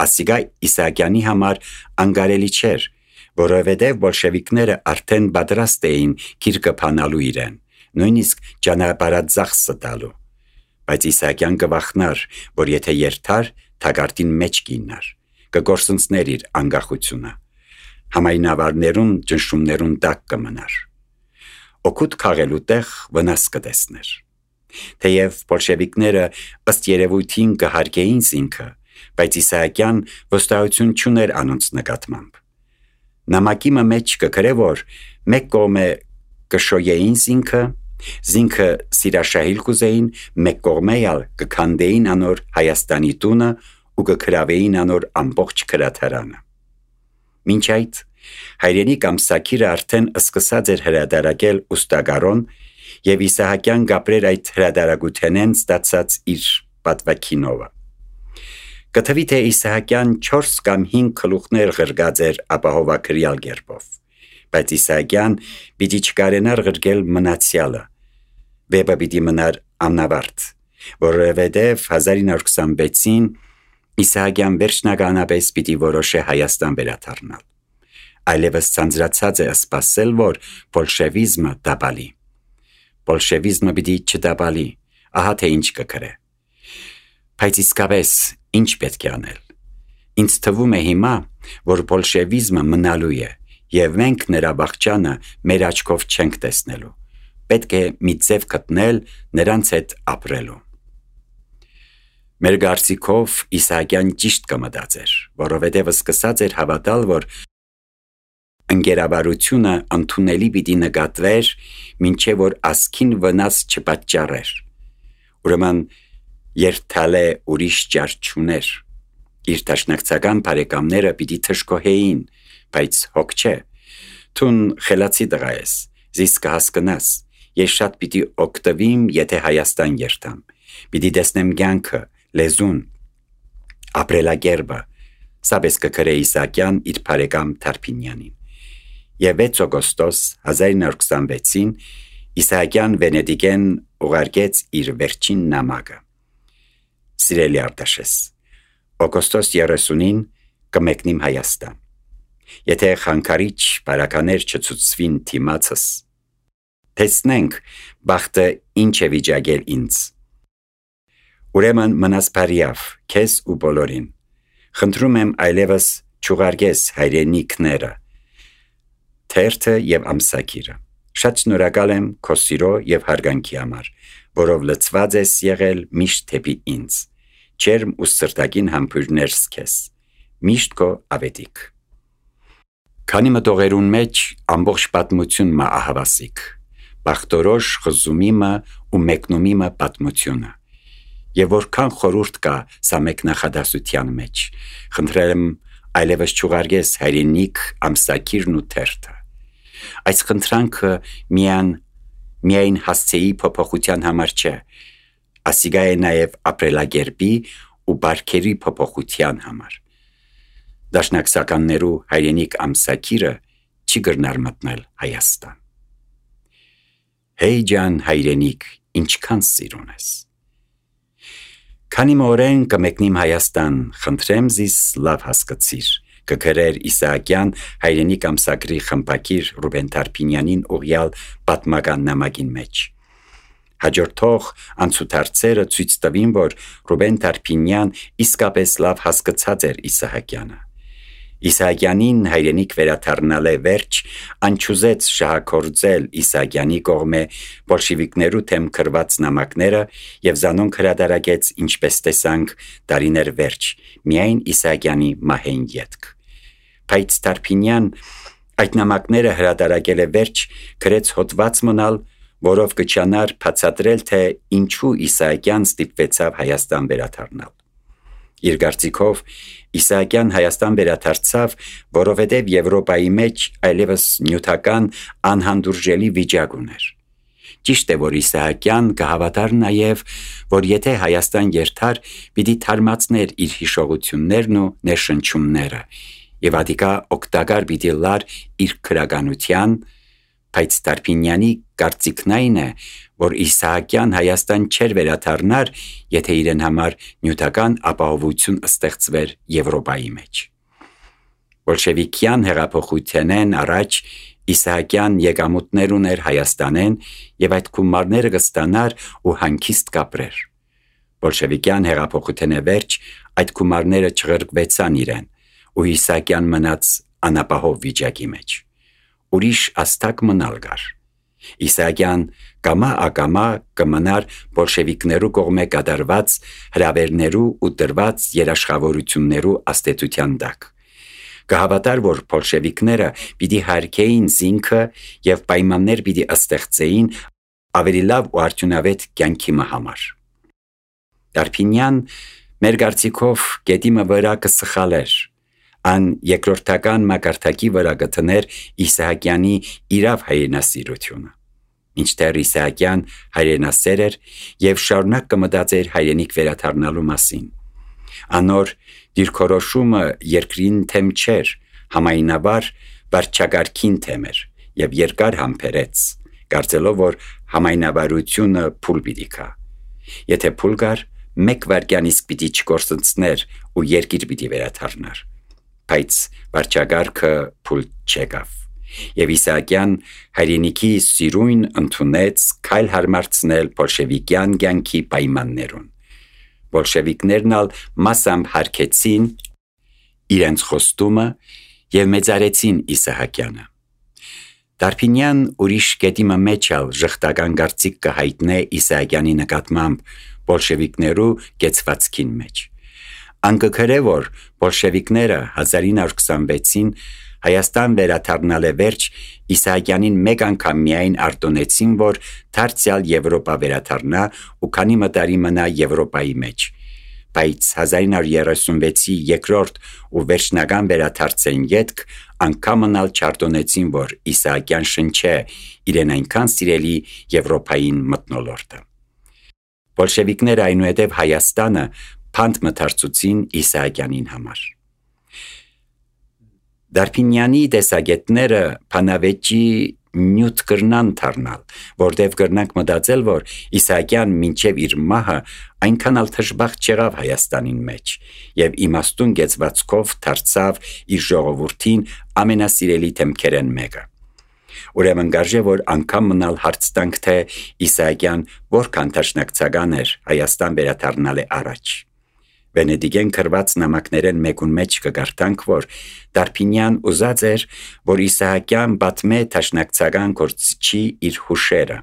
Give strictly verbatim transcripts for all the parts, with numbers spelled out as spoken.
ասիգա Իսահակյանի համար անգարելի չէր, որովհետև բոլշևիկները արդեն պատրաստ էին գիրկը փանալու իրեն, նույնիսկ ճանապարհածախսը տալու, բայց Իսահակյան կվախնար, որ եթե երթար, թագարտին մեջ կինար, կգործընծներ իր անկախությունը, համայնավարներուն ճնշումներուն տակ կմնար, օգուտ քաղելու տեղ վնաս կտեսներ։ Թեև բոլշևիկները ըստ երևույթին կհարգեին ինքը, բայց Իսահակյան վստահություն չուներ անոնց նկատմամբ։ Նամակի մեջ կգրե, որ մեկ կողմը կշոյեին ինքը, զինքը սիրաշահիլ կուզեին, մեկ կողմը ալ կքանդեին անոր Հայաստանի տունը ու կգրավեին անոր ամբողջ քրաթարանը։ Մինչ այդ հայրենիք ամսակիրը արդեն սկսած էր հրադարակել ուստագարոն և Իսահակյան գապրեր այդ հրադարագութենեն ստացած իր պատվաքինովը։ Կթվի թե Իսահակյան չորս կամ հինգ գլուխներ ղրգած էր ապահովագրյալ գերբով, բայց Իսահակյան պիտի չկարենար ղրգել մնացյալը, վեպը պիտի մնար անավարտ, որովհետև հազար ինը հարյուր քսանվեցին Իսահակյան վերջնականապես պիտի որոշե Հայաստան վերադառնալ, այլևս ցանցրացած է սպասել, որ բոլշևիզմը դաբալի։ Բոլշևիզմը պիտի չդաբալի, ահա թե ինչ կգրե։ Բայց իսկապես ինչ պետք է անել։ Ինձ թվում է հիմա, որ բոլշևիզմը մնալու է, և մենք նրա վախճանը մեր աչքով չենք տեսնելու, պետք է մի ձև գտնել նրանց հետ ապրելու։ Մեր կարծիքով Իսահակյան ճիշտ կմտածեր, որովհետև սկսած էր հավատալ, որ ընկերավարությունը ընդունելի պիտի նկատվեր, մինչև որ ազգին վնաս չպատճառեր։ Ուրեմն երթալե ուրիշ ճար չուներ։ Իր դաշնակցական բարեկամները պիտի թշկոհեին, բայց հոգ չէ։ Թուն խելացի տղա ես, զիս կհասկնաս, ես շատ պիտի օգտվիմ, եթե Հայաստան երթամ, պիտի տեսնեմ կյանքը, լեզուն, ապրելակերպը, սապես կգրե Իսահակյան իր բարեկամ Թարփինյանին։ Եվ վեց օգոստոս հազար ինը հարյուր քսանվեցին Իսահակյան Վենետիկեն ուղարկեց իր վերջին նամակը։ Սիրելի Արտաշես, օգոստոս երեսունին կմեկնիմ Հայաստան։ Եթե խանգարիչ բարականեր չցուցվին թիմացս, տեսնենք բախտը ինչ է վիճակել ինձ։ Ուրեմն մնաս բարիավ, քեզ ու բոլորին։ Խնդրում եմ այլևս չուղարկես հայրենիքները, թերթը և ամսակիրը։ Շատ շնորհակալ եմ քո սիրո և հարգանքի համար, որով լցված ես եղել միշտ դեպի ինձ։ Ջերմ ու սրտագին համբույրներս քեզ։ Միշտ քո Ավետիք։ Քանի մտողերուն մեջ ամբողջ պատմություն մը ահավասիկ, բախտորոշ խզումիմը ու մեկնումիմը պատմությունը։ Եվ որքան խորուրդ կա սա մեկ նախադասության մեջ, խնդրել եմ այլևս չուղարկես հայրենիք ամսակիրն ու թերթը։ Այս խնդրանքը միայն միայն հասցեի փոփոխության համար չէ, ասիգա է նաև ապրելակերպի ու բարքերի փոփոխության համար։ Դաշնակցականներու հայրենիք ամսակիրը չի գրնար մտնել Հայաստան։ Հեյ ջան հայրենիք, ինչքան սիրուն ես։ Քանի մորեն կմեկնիմ Հայաստան, խնդրեմ զիս լավ հասկացիր, կգրեր Իսահակյան հայրենիք ամսագրի խմբակիր Ռուբեն Թարփինյանին ուղյալ պատմական նամակին մեջ։ Հաջորդող անցուդարձերը ցույց տվին, որ Ռուբեն Թարփինյան իսկապես լավ հասկացած էր Իսահակյանը։ Իսահակյանին հայրենիք վերադառնալը վերջ անչուզեց շահագործել Իսահակյանի կողմէ բոլշևիկներու թեմ գրված նամակները և զանոնք հրադարակեց, ինչպես տեսանք, տարիներ վերջ, միայն Իսահակյանի մահեն ետք։ Բայց Թարփինյան այդ նամակները հրադարակել է վերջ, գրեց հոդված մնալ, որով կչանար բացատրել, թե ինչու Իսահակյան ստիպվեցավ Հայաստան վերադառնալ։ Իր կարծիքով Իսահակյան Հայաստան վերադարձավ, որովհետև Եվրոպայի մեջ այլևս նյութական անհանդուրժելի վիճակ ուներ։ Ճիշտ է, որ Իսահակյան կհավատար նաև, որ եթե Հայաստան երթար, պիտի թարմացներ իր հիշողություններն ու ներշնչումները, և ադիկա օգտակար պիտի լար իր քրագանության, Բայց Տարփինյանի կարծիքն այն է, որ Իսահակյան Հայաստան չէր վերադառնար, եթե իրեն համար նյութական ապահովություն ստեղծվեր Եվրոպայի մեջ։ Բոլշևիկյան հեղափոխութենեն առաջ Իսահակյան եկամուտներ ուներ Հայաստանեն եւ այդ գումարները կստանար ու հանգիստ կապրեր։ Բոլշևիկյան հեղափոխութենե վերջ այդ գումարները չղրկվեցան իրեն ու Իսահակյան մնաց անապահով վիճակի մեջ։ Ուրիշ աստակ մնալ գար։ Իսահակյան կամա ակամա կմնար բոլշևիկներու կողմէ կատարված հրավերներու ու տրված երաշխավորություններու աստեցության տակ։ Կհավատար, որ բոլշևիկները պիտի հարկեին զինքը եւ պայմաններ պիտի ստեղծեին ավելի լավ ու արդյունավետ կյանքի համար։ Տարփինյան մեր կարծիքով գետիմը վրա կսխալեր, ան երկրորդական մակարդակի վրա կտներ Իսահակյանի իրավ հայրենասիրությունը։ Մինչդեռ Իսահակյան հայրենասեր էր եւ շարունակ կմտածեր հայրենիք վերադառնալու մասին։ Անոր դիրքորոշումը երկրին թեմ չէր, համայնաբար վարչագարքին թեմ էր եւ երկար համբերեց, կարծելով, որ համայնաբարությունը փուլ պիտի գա։ Եթե փուլ գար, մեկ վայրկյան իսկ պիտի չկորսնցներ ու երկիր պիտի վերադառնար։ Բայց վարչագարքը փուլ չեկավ։ Եվ Իսահակյան հայրենիքի սիրույն ընդունեց քայլ հարմարցնել բոլշևիկյան կյանքի պայմաններուն։ Բոլշևիկներն ալ մասամբ հարգեցին իրենց խոստումը եւ մեծարեցին Իսահակյանը։ Տարփինյան ուրիշ կետիմը մեջ ալ ժխտական կարծիք կհայտնե Իսահակյանի նկատմամբ բոլշևիկներու կեցվածքին մեջ։ Անկքրե որ բոլշևիկները հազար ինը հարյուր քսանվեցին Հայաստան վերադառնալը վերջ Իսահակյանին մեկ անգամ միայն արտոնեցին, որ դարձյալ Եվրոպա վերադառնա ու քանի մտարի մնա Եվրոպայի մեջ։ Բայց հազար ինը հարյուր երեսունվեցի երկրորդ ու վերջնական վերադարձեն ետք անգամն ալ չարտոնեցին, որ Իսահակյան շնչե իրեն այնքան սիրելի Եվրոպային մթնոլորտը։ Բոլշևիկները այնուհետև Հայաստանը փանդ մթարցուցին Իսահակյանին համար։ Տարփինյանի տեսակետները փանավեճի նյութ կրնան դառնալ, որտեվ կրնանք մտածել, որ Իսահակյան մինչև իր մահը այնքան ալ թշբախտ չեղավ Հայաստանին մեջ եւ իմաստուն գեցվածքով դարձավ իր ժողովրդին ամենասիրելի թեմքերեն մեկը։ Ուրեմն գարժե որ անգամ մնալ հարց տանք, թե Իսահակյան որքան թաշնակցական էր Հայաստան վերադառնալը առաջ։ Վենեդիգեն կրված նամակներեն մեկուն մեջ կգարտանք, որ Տարփինյան ուզած էր, որ Իսահակյան բատմե թաշնակցական գործչի իր հուշերը։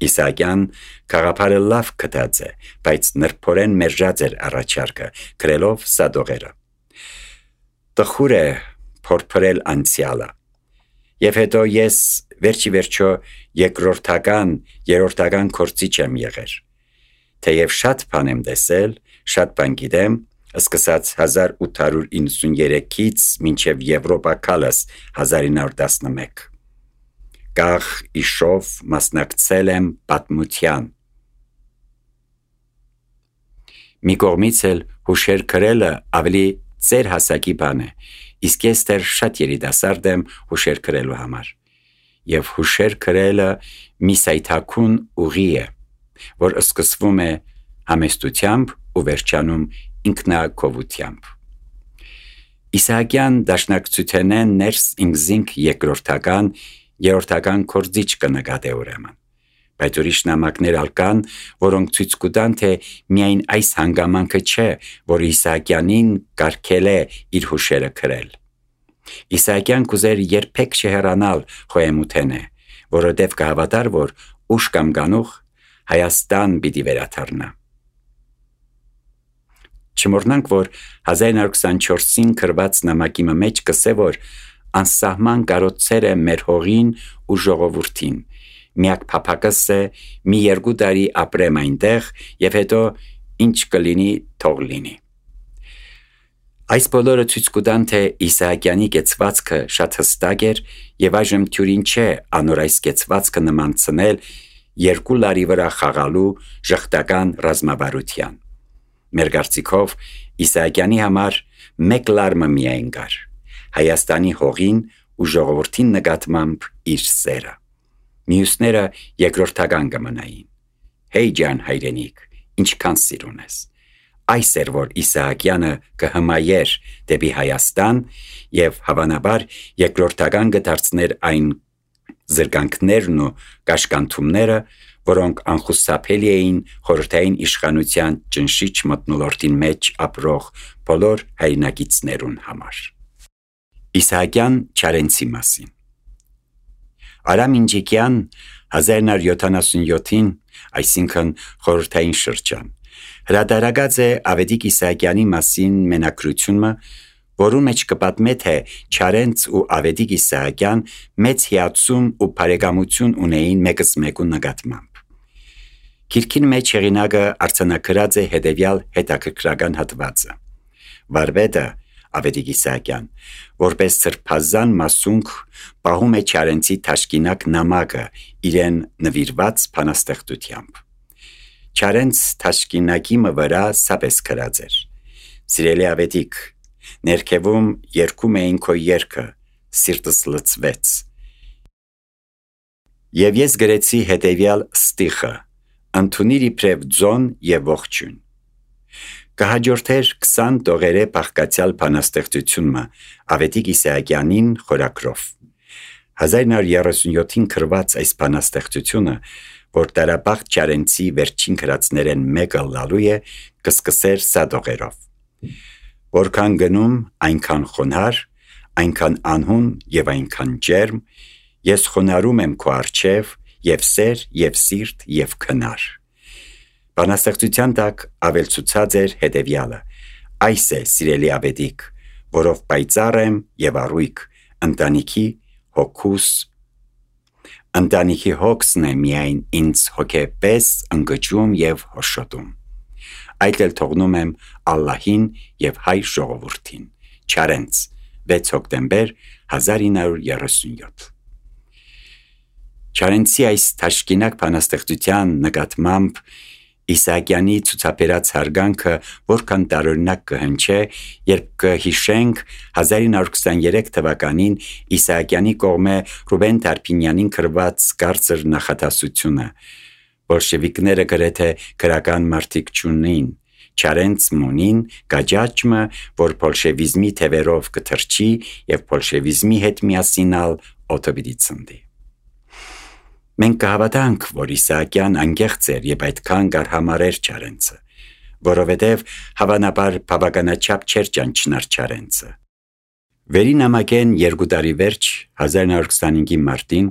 Իսահակյան քաղաքարը լավ կտած է, բայց նրբորեն մերժած էր առաջարկը, գրելով սադողերը։ Տխուր է փորփրել անցյալը։ Եվ հետո ես վերջի վերջո երկրորդական, երրորդական գործիչ եմ եղել։ Թեև շատ բան եմ տեսել, շատ բան գիտեմ, սկսած հազար ութ հարյուր իննսուններեքից մինչև Եվրոպա քալս հազար ինը հարյուր տասնմեկ։ Գաղ իշով մասնակցել եմ պատմության։ Մի կողմից էլ հուշեր գրելը ավելի ծեր հասակի բան է, իսկ ես դեռ շատ երիտասարդ եմ հուշեր գրելու համար։ Եվ հուշեր գրելը մի սայթաքուն ուղի է, որ սկսվում է համեստությամբ ու վերջանում ինքնակովությամբ։ Իսահակյան դաշնակցութենեն ներս ինքզինք երկրորդական, երրորդական կորձիչ կնկատե ուրեմն։ Բայց ուրիշ նամակներ ալ կան, որոնք ցույց կտան, թե միայն այս հանգամանքը չէ, որ Իսահակյանին կարգել է իր հուշերը գրել։ Իսահակյան կուզեր երբեք չհեռանալ Խոհեմութենե, որովհետև կհավատար, որ ուշ կամ գանուխ Հայաստան պիտի վերադառնա։ Չմոռնանք, որ հազար ինը հարյուր քսանչորսին գրված նամակի մեջ կսե, որ անսահման կարոցեր է մեր հողին ու ժողովրդին։ Միակ փափակս է մի երկու տարի ապրեմ այնտեղ եւ հետո ինչ կլինի թող լինի։ Այս բոլորը ցույց կտան, թե Իսահակյանի կեցվածքը շատ հստակ էր եւ այժմ թյուրին չէ անոր այս կեցվածքը նմանցնել երկու լարի վրա խաղալու ժխտական ռազմավարության։ Մեր կարծիքով Իսահակյանի համար մեկ լարմը միայն կար՝ Հայաստանի հողին ու ժողովրդին նկատմամբ իր սերը։ Մյուսները երկրորդական կմնային։ Հեյ ջան հայրենիք, ինչքան սիր ունես։ Այս էր, որ Իսահակյանը կհմայեր դեպի Հայաստան և հավանաբար երկրորդական կդարձներ այն զրկանքներն ու կաշկանդումները, որոնք անխուսափելի էին խորհրդային իշխանության ճնշիչ մթնոլորտին մեջ ապրող բոլոր հայրենակիցներուն համար։ Իսահակյան Չարենցի մասին։ Արամ Ինջիկյան հազար նոր յոթանասունյոթին, այսինքն խորհրդային շրջան, հրատարակած է Ավետիք Իսահակյանի մասին մենակրությունը, որում մեջ կպատմե, թե Չարենց ու Ավետիք Իսահակյան մեծ հիացում ու բարեկամություն ունեին մեկս մեկու նկատմամբ։ Գիրքին մեջ հեղինակը արձանագրած է հետևյալ հետաքրքրական հատվածը. Վարպետը Ավետիք Իսահակյան, որպես սրբազան մասունք, պահում է Չարենցի թաշկինակ նամակը իրեն նվիրված բանաստեղծությամբ։ Չարենց թաշկինակի վրա սապես գրած էր. Սիրելի Ավետիք, ներքևում երգում էին քո երգը, սիրտս լցվեց։ Եվ ես գրեցի հետևյալ ստիխը. ընդունիր իբրև ձոն և ողջույն։ Կհաջորդեր քսան տողերե բաղկացյալ բանաստեղծությունը Ավետիք Իսահակյանին խորագրով։ հազար նոր երեսունյոթին գրված այս բանաստեղծությունը, որ դարաբաղ Չարենցի վերջին գրածներեն մեկը լալու է, կսկսեր սատողերով. որքան գնում, այնքան խոնար, այնքան անհուն և այնքան ջերմ, ես խոնարում եմ քո առջև, և սեր, և սիրտ, և քնար։ Բանաստեղծության տակ ավելցուցած էր հետևյալը. այս է, սիրելի Ավետիք, որով պայծառ եմ և առույգ, ընտանիքի հոգուս, ընտանիքի հոգսն է միայն ինձ հոգեպես ընկճում և հոշոտում։ Այդ էլ թողնում եմ Ալլահին և հայ ժողովրդին։ Չարենց, վեց հոկտեմբեր հազար ինը հարյուր երեսունյոթ։ Չարենցի այս թաշկինակ բանաստեղծության նկատմամբ Իսահակյանի ցուցաբերած հարգանքը որքան տարօրինակ կհնչե, երբ կհիշենք հազար ինը հարյուր քսաներեք թվականին Իսահակյանի կողմէ Ռուբեն Տարփինյանին գրված կարծր նախադասությունը. բոլշևիկները գրեթե գրական մարդիկ չունին, Չարենց մունին գաճաճմը, որ բոլշևիզմի թևերով կթրջի և բոլշևիզմի հետ միասինալ օդը պիտի ցնդի։ Մենք կհավատանք, որ Իսահակյան անկեղծ էր և այդքան կարհամարեր Չարենցը, որովհետև հավանաբար բավականաչափ չէր ճանչնար Չարենցը։ Վերի նամակեն երկու տարի վերջ հազար նոր քսանհինգի մարտին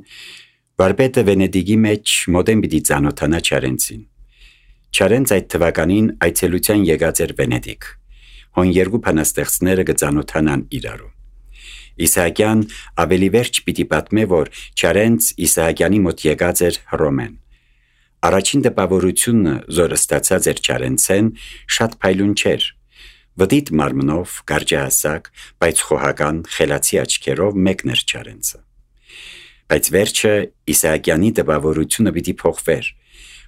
վարպետը Վենեդիգի մեջ մոտեն պիտի ծանոթանա Չարենցին։ Չարենց այդ թվականին այցելության եկած էր Վենեդիգ, հոն երկու բանաստեղծները կծանոթանան իրարու։ Իսահակյան ավելի վերջ պիտի պատմե, որ Չարենց Իսահակյանի մոտ եկած էր Հռոմեն։ Առաջին տպավորությունը, որ ստացած էր Չարենցեն, շատ փայլուն չէր։ Վդիտ մարմնով, կարճահասակ, բայց խոհական, խելացի աչքերով մեկն էր Չարենցը։ Բայց վերջը Իսահակյանի տպավորությունը պիտի փոխվեր։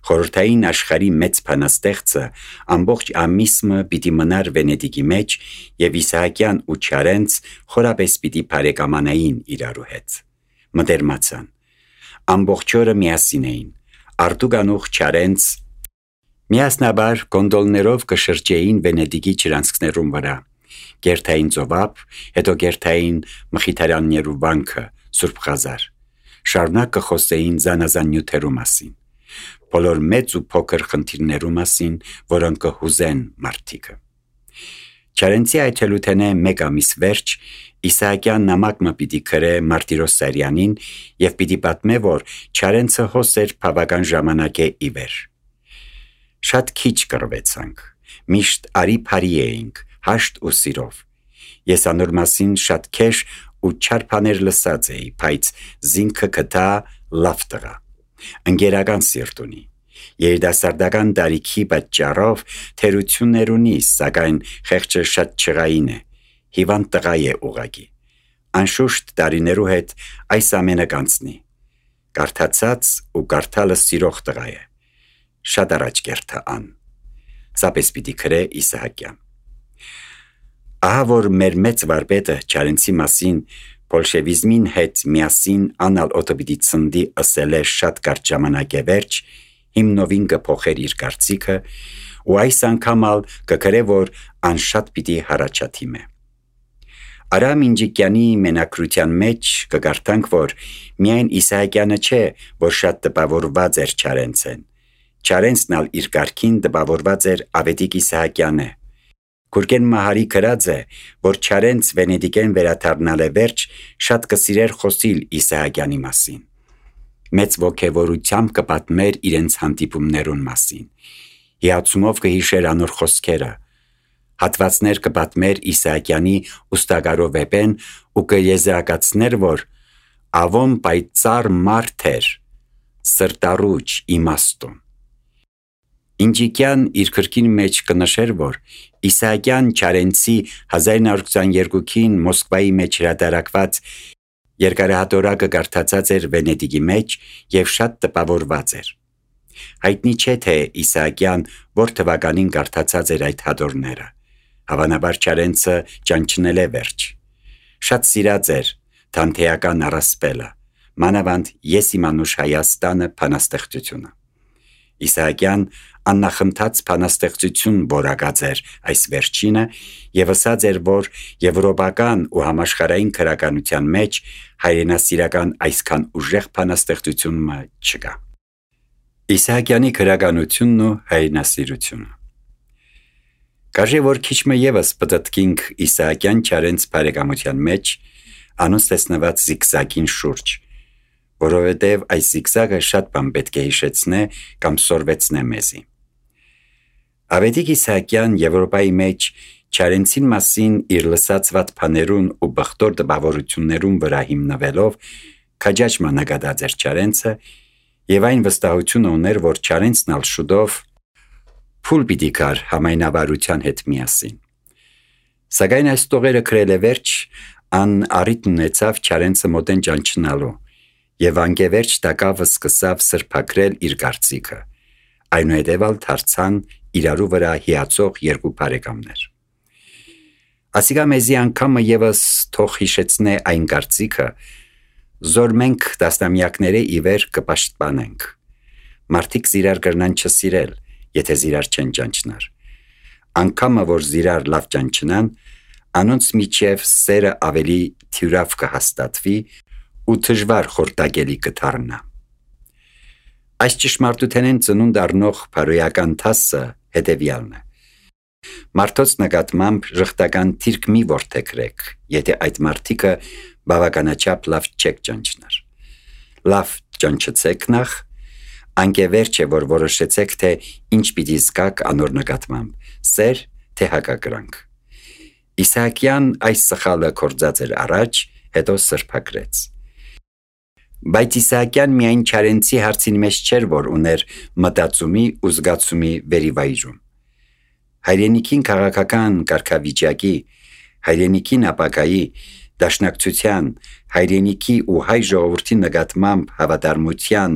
Խորհրդային աշխարհի մեծ բանաստեղծը ամբողջ ամիսը պիտի մնար Վենեդիգի մեջ և Իսահակյան ու Չարենց խորապես պիտի բարեկամանային իրարու հետ։ Մտերմացան։ Ամբողջ օրը միասին էին։ Արտուգանուխ Չարենց միասնաբար գոնդոլներով կշրջեին Վենեդիգի ջրանցքներուն վրա, գերթային ծովափ, հետո գերթային Մխիթարյաններու վանքը, Սուրբ Խազար։ Շարունակ կխոսեին զանազան նյութերու մասին, բոլոր մեծ ու փոքր խնդիրներու մասին, որոնք կհուզեն մարդիկը։ Չարենցի այցելութենէ մեկ ամիս վերջ Իսահակյան նամակ մը պիտի գրե Մարտիրոս Սարյանին և պիտի պատմե, որ Չարենցը հոս էր բավական ժամանակե ի վեր։ Շատ քիչ կռվեցանք, միշտ արի փարի էինք, հաշտ ու սիրով։ Ես անոր մասին շատ քեշ ու չար բաներ լսած էի, բայց զինքը գտա լավ տղա, ընկերական սիրտ ունի, երիտասարդական տարիքի պատճառով թերություններ ունի, սակայն խեղճը շատ չղային է, հիվանդ տղա է ուղղակի։ Անշուշտ տարիներու հետ այս ամենը կանցնի։ Կարդացած ու կարդալը սիրող տղա է, շատ առաջ կերթա ան։ Սապես պիտի գրե Իսահակյան։ Ահա որ մեր մեծ վարպետը Չարենցի մասին Բոլշևիզմին հետ միասին անալ օտոպիդի ծնդի ըսել է շատ կարճ ժամանակ է վերջ, հիմնովին կփոխեր իր կարծիքը, ու այս անգամ ալ կգրե, որ անշատ պիտի հարաճաթիմե։ Արամ Ինջիկյանի մենակրության մեջ կգարտանք, որ միայն Իսահակյանը չէ, որ շատ տպավորված էր Չարենցեն։ Չարենցն ալ իր կարգին տպավորված էր Ավետիք Իսահակյանը։ Գուրգեն Մահարի գրած է, որ Չարենց Վենեդիկեն վերադառնալ է վերջ, շատ կսիրեր խոսիլ Իսահակյանի մասին։ Մեծ ոգևորությամբ կպատմեր իրենց հանդիպումներուն մասին։ Հիացումով կհիշեր անոր խոսքերը։ Հատվածներ կպատմեր Իսահակյանի ուստագարով էպեն ու կեզրակացներ, որ ավոն պայծառ մարդ էր, սրտառուչ իմաստուն։ Ինջիկյան իր քրքին մեջ կնշեր, որ Իսահակյան Չարենցի հազար նոր քսաներկուին Մոսկվայի մեջ հրատարակված երկարահատորակը կարդացած էր Վենեդիգի մեջ և շատ տպավորված էր։ Հայտնի չէ, թե Իսահակյան որ թվականին կարդացած էր այդ հատորները։ Հավանաբար Չարենցը ճանչնել է վերջ։ Շատ սիրած էր Դանթեական առասպելը, մանավանդ Ես իմանուշ Հայաստանը բանաստեղծությունը։ Իսահակյան աննախընթաց բանաստեղծություն որակած էր այս վերջինը և ասած էր, որ եվրոպական ու համաշխարհային քրականության մեջ հայրենասիրական այսքան ուժեղ բանաստեղծությունը չկա։ Իսահակյանի քրականությունն ու հայրենասիրությունը։ Կաժե, որ քիչմը ևս պտտքինք Իսահակյան Չարենց բարեկամության մեջ անոնց տեսնված զիգզագին շուրջ, որովհետև այս զիգզագը շատ բան պետք է հիշեցնե կամ սորվեցնե մեզի։ Ավետիք Իսահակյան Եվրոպայի մեջ Չարենցին մասին իր լսածված բաներուն ու բխտոր տպավորություններուն վրա հիմնվելով քաջաճմա նկատած էր Չարենցը և այն վստահությունը ուներ, որ Չարենցն ալ շուտով փուլ պիտի գար համայնավարության հետ միասին։ Սակայն այս տողերը գրել է վերջ, ան առիթ ունեցավ Չարենցը մոտեն ճանչնալու և անկևերջ տակավը սկսավ սրբակրել իր կարծիքը, այնուհետև ալ դարձան իրարու վրա հիացող երկու բարեկամներ։ Ասիկա մեզի անգամը ևս թող հիշեցնե այն կարծիքը, զոր մենք տասնամյակները ի վեր կպաշտպանենք։ Մարդիկ զիրար կրնան չսիրել, եթե զիրար չեն ճանչնար։ Անգամը, որ զիրար լավ ճանչնան, անոնց միջև սերը ավելի թյուրավ կհաստատվի ու դժվար խորտակելի կդառնա։ Այս ճշմարտութենեն ծնունդ առնող բարոյական դասը հետևյալն է. մարդոց նկատմամբ ժխտական թիրք մի որդեգրեք, եթե այդ մարդիկը բավականաչափ լավ չեք ճանչնար։ Լավ ճանչեցեք նախ, անկևերջ է, որ որոշեցեք, թե ինչ պիտի զգաք անոր նկատմամբ, սեր, թե հակակրանք։ Իսահակյան այս սխալը կործած էր առաջ, հետո սրբակրեց։ Բայց Իսահակյան միայն Չարենցի հարցին մեջ չէր, որ ուներ մտածումի ու զգացումի վերիվայրում։ Հայրենիքին քաղաքական կարգավիճակի, հայրենիքին ապագայի, դաշնակցության, հայրենիքի ու հայ ժողովրդի նկատմամբ հավատարմության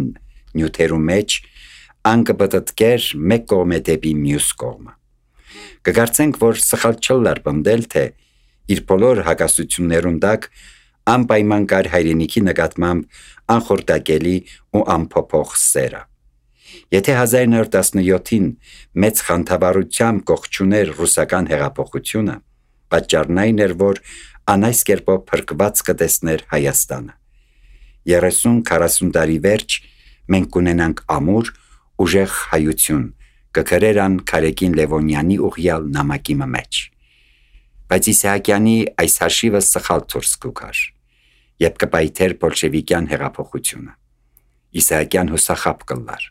նյութերու մեջ անկպտտկեր մեկ կողմը դեպի մյուս կողմը։ Կգարցենք, որ սխալ չլար պնդել, թե իր բոլոր հակասություններուն տակ անպայման կար հայրենիքի նկատմամբ անխորտակելի ու անփոփոխ սերը։ Եթե հազար նոր տասնյոթին մեծ խանդավառությամբ կողջուներ ռուսական հեղափոխությունը, պատճառն այն էր, որ անայս կերպով փրկված կտեսներ Հայաստանը։ երեսուն քառասուն տարի վերջ մենք կունենանք ամուր, ուժեղ հայություն, կգրերան Քարեկին Լևոնյանի ուղյալ նամակի մեջ։ Բայց Իսահակյանի այս հաշիվը սխալ դուրս կգար, երբ կպայթեր բոլշևիկյան հեղափոխությունը։ Իսահակյան հուսախաբ կլար։